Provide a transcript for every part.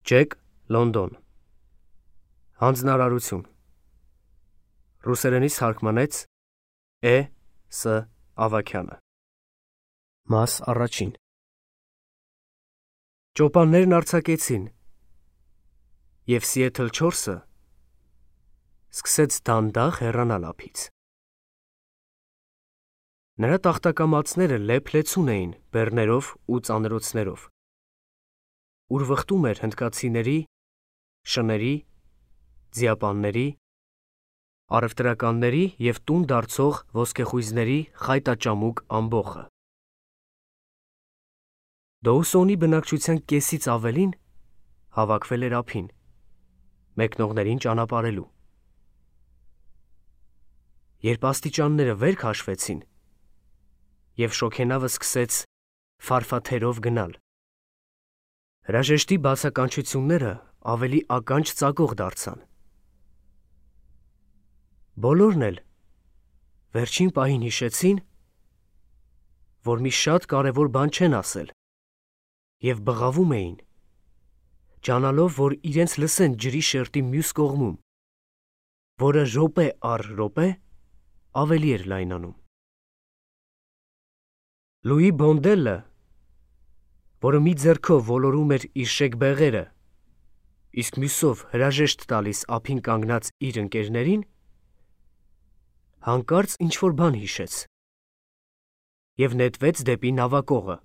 Ջեք, Լոնդոն։ Հանձնարարություն։ Ռուսերենից թարգմանեց Է.Ս. Ավագյանը։ Մաս առաջին։ Ճոպաններն արձակեցին, և Սիեթլ 4-ը սկսեց դանդաղ հեռանալ ափից։ Նրա տախտակամածները լեփ-լեցուն էին բեռներով ու ծանրոցներով, ուր վխտում էր հնդկացիների, շների, ձիապանների, առևտրականների և տուն դարձող ոսկեխույզների խայտաճամուկ ամբոխը։ Դոուսոնի բնակչության կեսից ավելին հավաքվել էր ափին, մեկնողներին ճանապարհելու։ Երբ աստիճանները վեր քաշվեցին, և շոգենավը սկսեց ֆարֆաթերով գնալ, հրաժեշտի բացականչությունները ավելի ականջ ծակող դարձան։ Բոլորն էլ վերջին պահին հիշեցին, որ մի շատ կարևոր բան չեն ասել, և բղավում էին, ջանալով, որ իրենց լսեն ջրի շերտի մյուս կողմում, որը րոպե առ րոպե ավելի էր լայնանում։ Լուի Բոնդելը, որը մի ձեռքով ոլորում էր իր շեգբեղերը, իսկ մյուսով հրաժեշտ տալիս ափին կանգնած իր ընկերներին, հանկարծ ինչ-որ բան հիշեց և նետվեց դեպի նավակողը։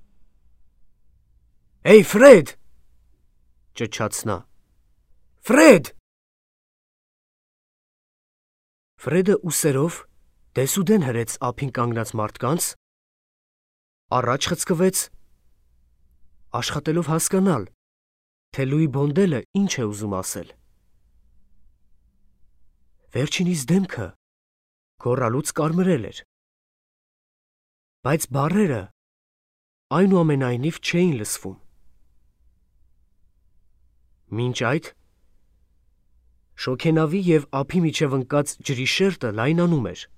«Էյ, Ֆրեդ!» ճչաց նա։ «Ֆրեդ!» Ֆրեդը ուսերով դեսուդեն հրեց ափին կանգնած մարդկանց, առաջ խցկվեց, աշխատելով հասկանալ, թե Լուի Բոնդելը ինչ է ուզում ասել։ Վերջինիս դեմքը գոռալուց կարմրել էր, բայց բառերը այնուամենայնիվ չէին լսվում։ Մինչ այդ շոգենավի և ափի միջև ընկած ջրի շերտը լայնանում էր։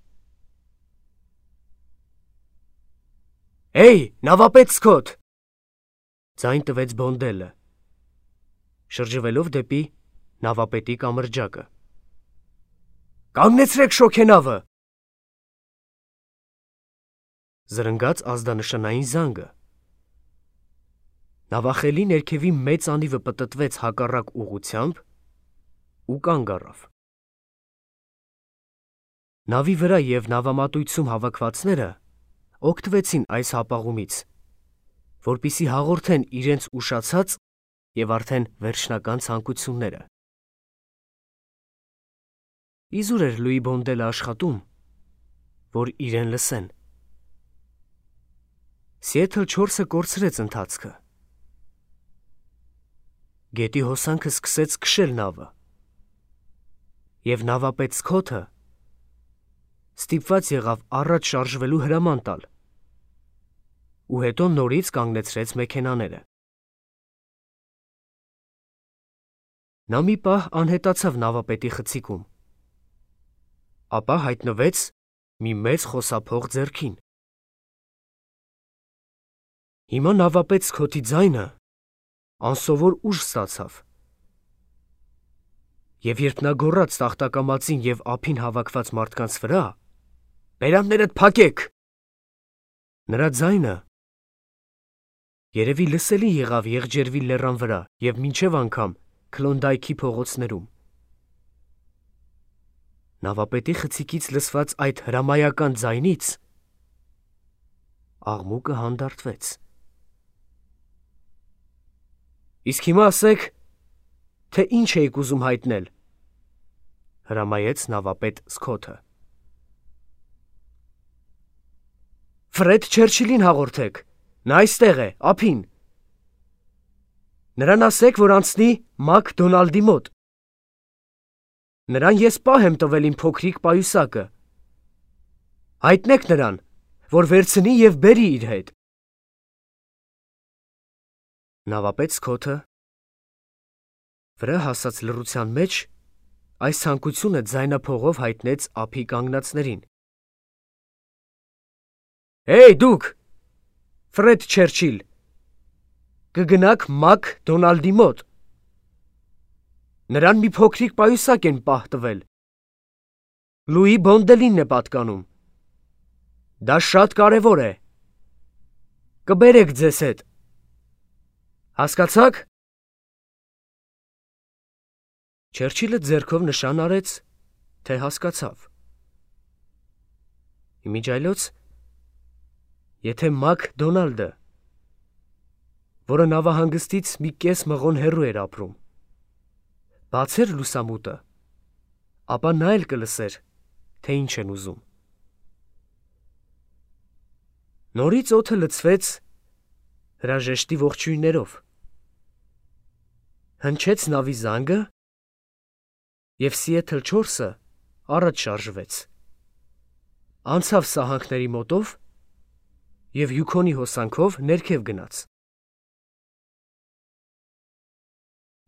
«Էյ, նավապետ Սքոթ!» ձայն տվեց Բոնդելը, շրջվելով դեպի նավապետի կամրջակը։ «Կանգնեցրեք շոգենավը!» Զրնգաց ազդանշանային զանգը։ Նավախելի ներքևի մեծ անիվը պտտվեց հակառակ ուղղությամբ ու կանգ առավ։ Նավի վրա և նավամատույցում հավաքվածները օգտվեցին այս հապաղումից, որպեսզի հաղորդեն իրենց ուշացած և արդեն վերջնական ցանկությունները։ Իզուր էր Լուի Բոնդելը աշխատում, որ իրեն լսեն։ Սիեթլ 4-ը կորցրեց ընթացքը։ Գետի հոսանքը սկսեց քշել նավը, և նավապետ Սքոթը ստիպված եղավ առաջ շարժվելու հրաման տալ ու հետո նորից կանգնեցրեց մեքենաները։ Նա մի պահ անհետացավ նավապետի խցիկում, ապա հայտնվեց մի մեծ խոսափող ձեռքին։ Հիմա նավապետ Սքոթի ձայնը անսովոր ուժ ստացավ, և երբ նա գոռաց տախտակամածին և ափին հավաքված մարդկանց վրա. «Բերաններդ փակեք!», նրա ձայնը երևի լսելի եղավ Եղջերվի լեռան վրա և մինչև անգամ Քլոնդայքի փողոցներում։ Նավապետի խցիկից լսված այդ հրամայական ձայնից աղմուկը հանդարտվեց։ «Իսկ հիմա ասեք, թե ինչ էիք ուզում հայտնել», հրամայեց նավապետ Սքոթը։ «Ֆրեդ Չերչիլին հաղորդեք, նա այստեղ է, ափին։ Նրան ասեք, որ անցնի Մակ Դոնալդի մոտ։ Նրան ես պահ եմ տվել իմ փոքրիկ պայուսակը։ Հայտնեք նրան, որ վերցնի և բերի իր հետ»։ Նավապետ Սքոթը վրա հասած լռության մեջ այս ցանկությունը ձայնափողով հայտնեց ափի կանգնածներին։ «Հեյ, դուք, Ֆրեդ Չերչիլ, կգնաք Մակ Դոնալդի մոտ, Նրան մի փոքրիկ պայուսակ են պահ տվել։ Լուի Բոնդելինն է պատկանում։ Դա շատ կարևոր է։ Կբերեք ձեզ հետ։ Հասկացաք։ Չերչիլը ձեռքով նշան արեց, թե հասկացավ։ Իմիջայլոց, եթե Մակ Դոնալդը, որը նավահանգստից մի կես մղոն հեռու էր ապրում, բացեր լուսամուտը, ապա նա էլ կլսեր, թե ինչ են ուզում։ Նորից օդը լցվեց հրաժեշտի ողջույններով։ Հնչեց նավի զանգը, և Սիեթլ 4-ը առաջ շարժվեց։ Անցավ սահանքների մոտով և Յուքոնի հոսանքով ներքև գնաց։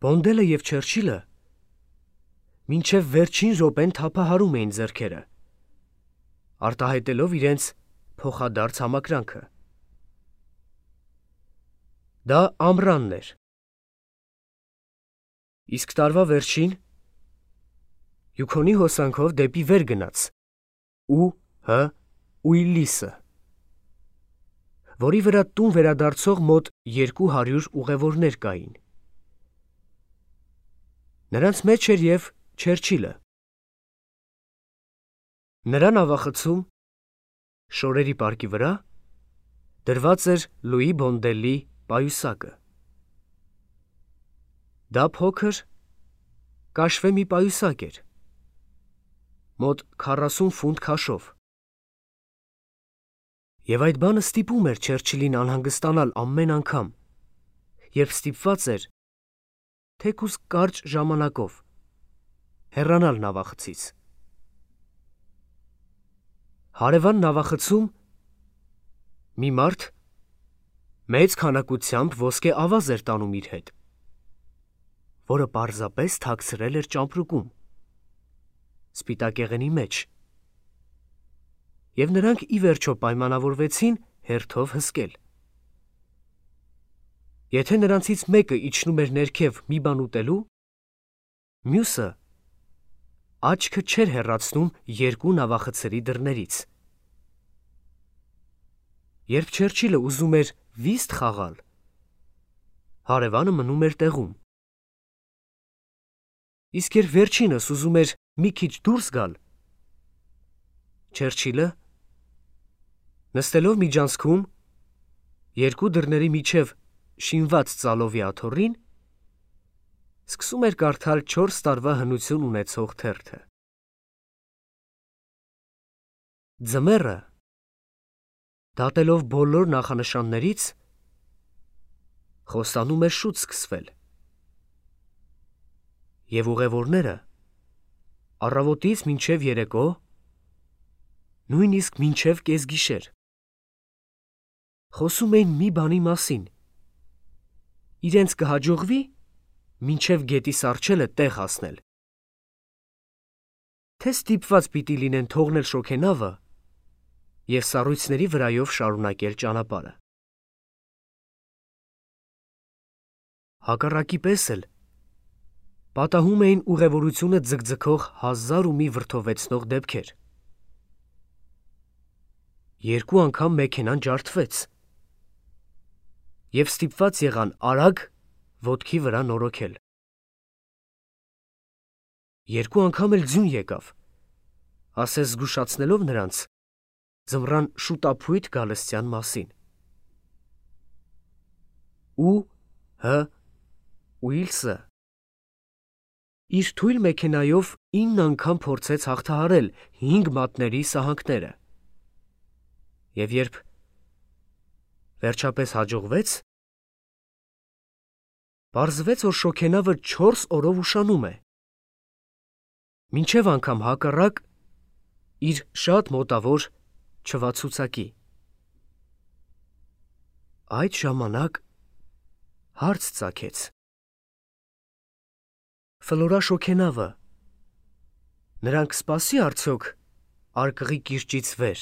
Բոնդելը և Չերչիլը մինչև վերջին րոպեն թափահարում էին ձեռքերը, արտահայտելով իրենց փոխադարձ համակրանքը։ Դա ամռանն էր։ Իսկ տարվա վերջին Յուքոնի հոսանքով դեպի վեր գնաց Ուիլիսը, որի վրա տուն վերադարձող մոտ 200 ուղևորներ կային։ Նրանց մեջ էր և Չերչիլը։ Նրա նավախցում, շորերի պարկի վրա, դրված էր Լուի Բոնդելի պայուսակը։ Դա փոքր, կաշվե մի պայուսակ էր, մոտ 40 ֆունտ քաշով։ Եվ այդ բանը ստիպում էր Չերչիլին անհանգստանալ ամեն անգամ, երբ ստիպված էր, թեկուզ կարճ ժամանակով, հեռանալ նավախցից։ Հարևան նավախցում մի մարդ մեծ քանակությամբ ոսկե ավազ էր տանում իր հետ, որը պարզապես թաքցրել էր ճամպրուկում, սպիտակեղենի մեջ, և նրանք ի վերջո պայմանավորվեցին հերթով հսկել։ Եթե նրանցից մեկը իջնում էր ներքև մի բան ուտելու, մյուսը աչքը չէր հեռացնում երկու նավախցերի դռներից։ Երբ Չերչիլը ուզում էր վիստ խաղալ, հարևանը մնում էր տեղում։ Իսկ երբ վերջինս ուզում էր մի քիչ դուրս գալ, Չերչիլը, նստելով միջանցքում, երկու դռների միջև շինված ծալովի աթոռին, սկսում էր կարդալ 4 տարվա հնություն ունեցող թերթը։ Ձմեռը, դատելով բոլոր նախանշաններից, խոստանում էր շուտ սկսվել, և ուղևորները առավոտից մինչև երեկո, նույնիսկ մինչև կեսգիշեր, խոսում էին մի բանի մասին. իրենց կհաջողվի մինչև գետի սառչելը տեղ հասնել, թե ստիպված պիտի լինեն թողնել շոգենավը և սառույցների վրայով շարունակել ճանապարհը։ Հակառակի պես էլ պատահում էին ուղևորությունը ձգձգող 1000 ու մի վրդովեցնող դեպքեր։ Երկու անգամ մեքենան ջարդվեց, և ստիպված եղան արագ ոտքի վրա նորոգել։ Երկու անգամ էլ ձյուն եկավ, ասես զգուշացնելով նրանց ձմռան շուտափույթ գալստյան մասին։ Ուիլսը իր թույլ մեքենայով 9 անգամ փորձեց հաղթահարել 5 մատների սահանքները, և երբ վերջապես հաջողվեց, պարզվեց, որ շոգենավը 4 օրով ուշանում է, մինչև անգամ հակառակ իր շատ մոտավոր չվացուցակի։ Այդ ժամանակ հարց ծագեց. Ֆլորա շոգենավը նրան կսպասի արդյոք Արկղի կիրճից վեր։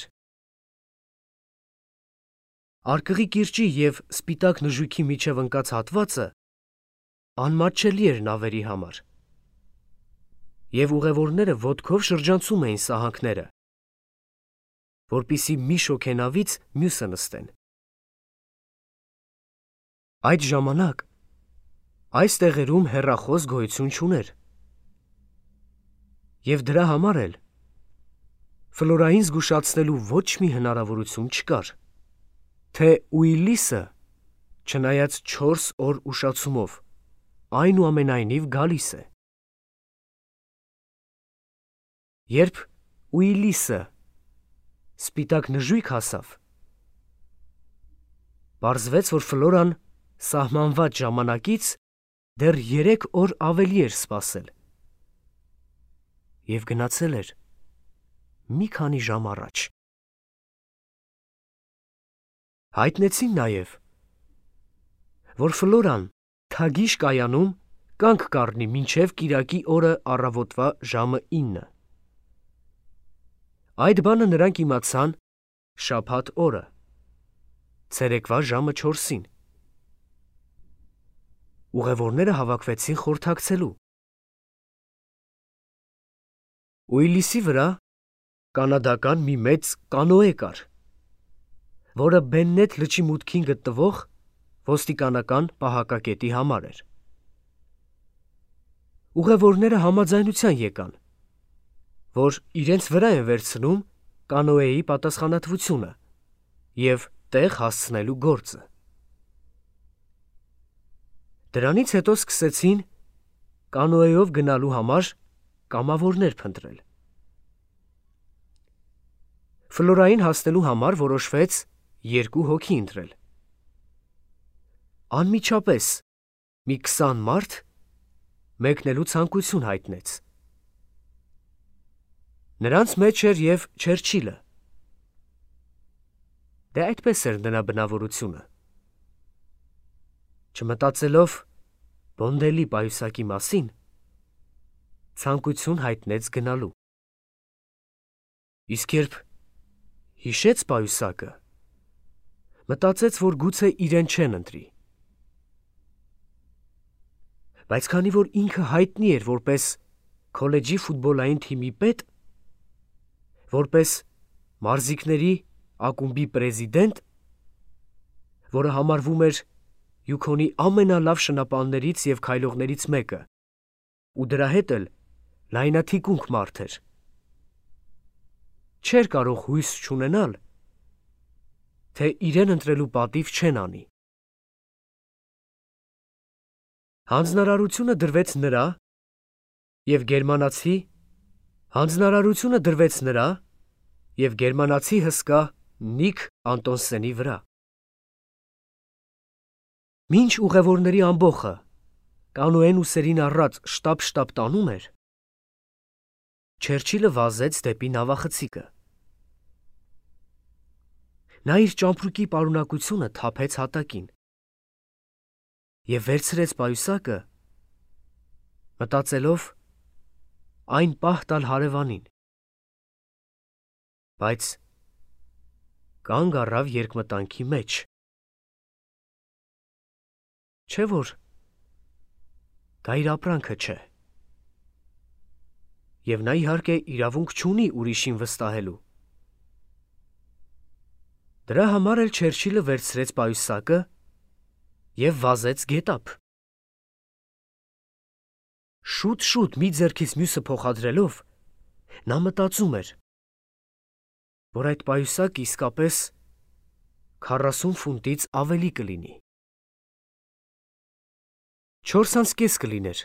Արկղի կիրճի և սպիտակ նժույգի միջև ընկած հատվածը անմատչելի էր նավերի համար, և ուղևորները ոտքով շրջանցում էին սահանքները, որպեսզի մի շոգենավից մյուսը նստեն։ Այդ ժամանակ այս տեղերում հեռախոս գոյություն չուներ, և դրա համար էլ Ֆլորային զգուշացնելու ոչ մի հնարավորություն չկար, թե Ուիլիսը, չնայած 4 օր ուշացումով, այնուամենայնիվ գալիս է։ Երբ Ուիլիսը սպիտակ նժույգ հասավ, պարզվեց, որ Ֆլորան սահմանված ժամանակից դեռ 3 օր ավելի էր սպասել և գնացել էր մի քանի ժամ առաջ։ Հայտնեցին նաև, որ Ֆլորան թագի շկայանում կանգ կառնի մինչև կիրակի օրը առավոտվա ժամը 9։ Այդ բանը նրանք իմացան շաբաթ օրը, ցերեկվա ժամը 4-ին։ Ուղևորները հավաքվեցին խորհրդակցելու։ Ուիլիսի վրա կանադական մի մեծ կանոե կար, որը Բեննեթ լճի մուտքին գտնվող ոստիկանական պահակակետի համար էր։ Ուղևորները համաձայնության եկան, որ իրենց վրա են վերցնում կանոեի պատասխանատվությունը և տեղ հասցնելու գործը։ Դրանից հետո սկսեցին կանոեով գնալու համար կամավորներ փնտրել։ Ֆլորային հասնելու համար որոշվեց 2 հոգի ընտրել։ Անմիջապես մի 20 մարդ մեկնելու ցանկություն հայտնեց։ Նրանց մեջ էր և Չերչիլը։ Դե այդպես էր նրա բնավորությունը։ Չմտածելով Բոնդելի պայուսակի մասին, ցանկություն հայտնեց գնալու։ Իսկ երբ հիշեց պայուսակը, մտածեց, որ գուցե իրեն չեն ընտրի։ Բայց քանի որ ինքը հայտնի էր որպես քոլեջի ֆուտբոլային թիմի պետ, որպես մարզիկների ակումբի պրեզիդենտ, որը համարվում էր Յուքոնի ամենալավ շնապաններից և քայլողներից մեկը, ու դրա հետ էլ լայնաթիկունք մարդ էր, չէր կարող հույս չունենալ, թե իրեն ընտրելու պատիվ չեն անի։ Հանձնարարությունը դրվեց նրա և գերմանացի հսկա Նիկ Անտոնսենի վրա։ Մինչ ուղևորների ամբոխը կանոեն ուսերին առած շտապ տանում էր, Չերչիլը վազեց դեպի նավախցիկը։ Նա իր ճամպրուկի պարունակությունը թափեց հատակին և վերցրեց պայուսակը, մտածելով այն պահ տալ հարևանին, բայց կանգ առավ երկմտանքի մեջ։ Չէ՞ որ դա իր ապրանքը չէ, և նա իհարկե իրավունք չունի ուրիշին վստահելու։ Դրա համար էլ Չերչիլը վերցրեց պայուսակը և վազեց գետափ։ Շուտ մի ձեռքից մյուսը փոխադրելով, նա մտածում էր, որ այդ պայուսակը իսկապես 40 ֆունտից ավելի կլինի։ 4:30 կլիներ,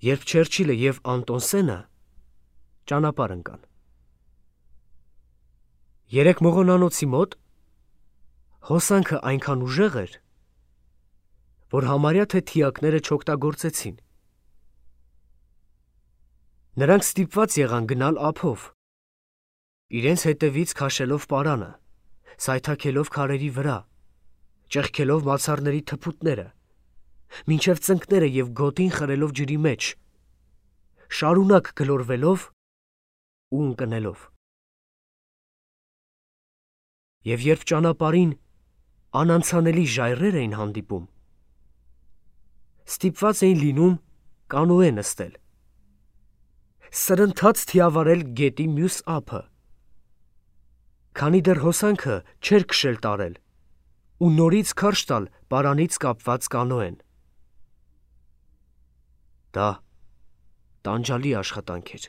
երբ Չերչիլը և Անտոնսենը ճանապարհ ընկան։ Երեկ մողոնանոցի մոտ հոսանքը այնքան ուժեղ էր, որ համարյա թե թիակները չօգտագործեցին։ Նրանք ստիպված եղան գնալ ափով, իրենց հետևից քաշելով պարանը, սայթաքելով քարերի վրա, ճեղքելով մացառների թփուտները, մինչև ծնկները և գոտին խրելով ջրի մեջ, շարունակ գլորվելով ու ընկնելով։ Եվ երբ ճանապարհին անանցանելի ժայռեր էին հանդիպում, ստիպված էին լինում կանոե նստել սրընթաց թիավարել գետի մյուս ափը, քանի դեռ հոսանքը չէր քշել տարել ու նորից քարշ տալ պարանից կապված կանոեն։ Դա տանջալի աշխատանք էր։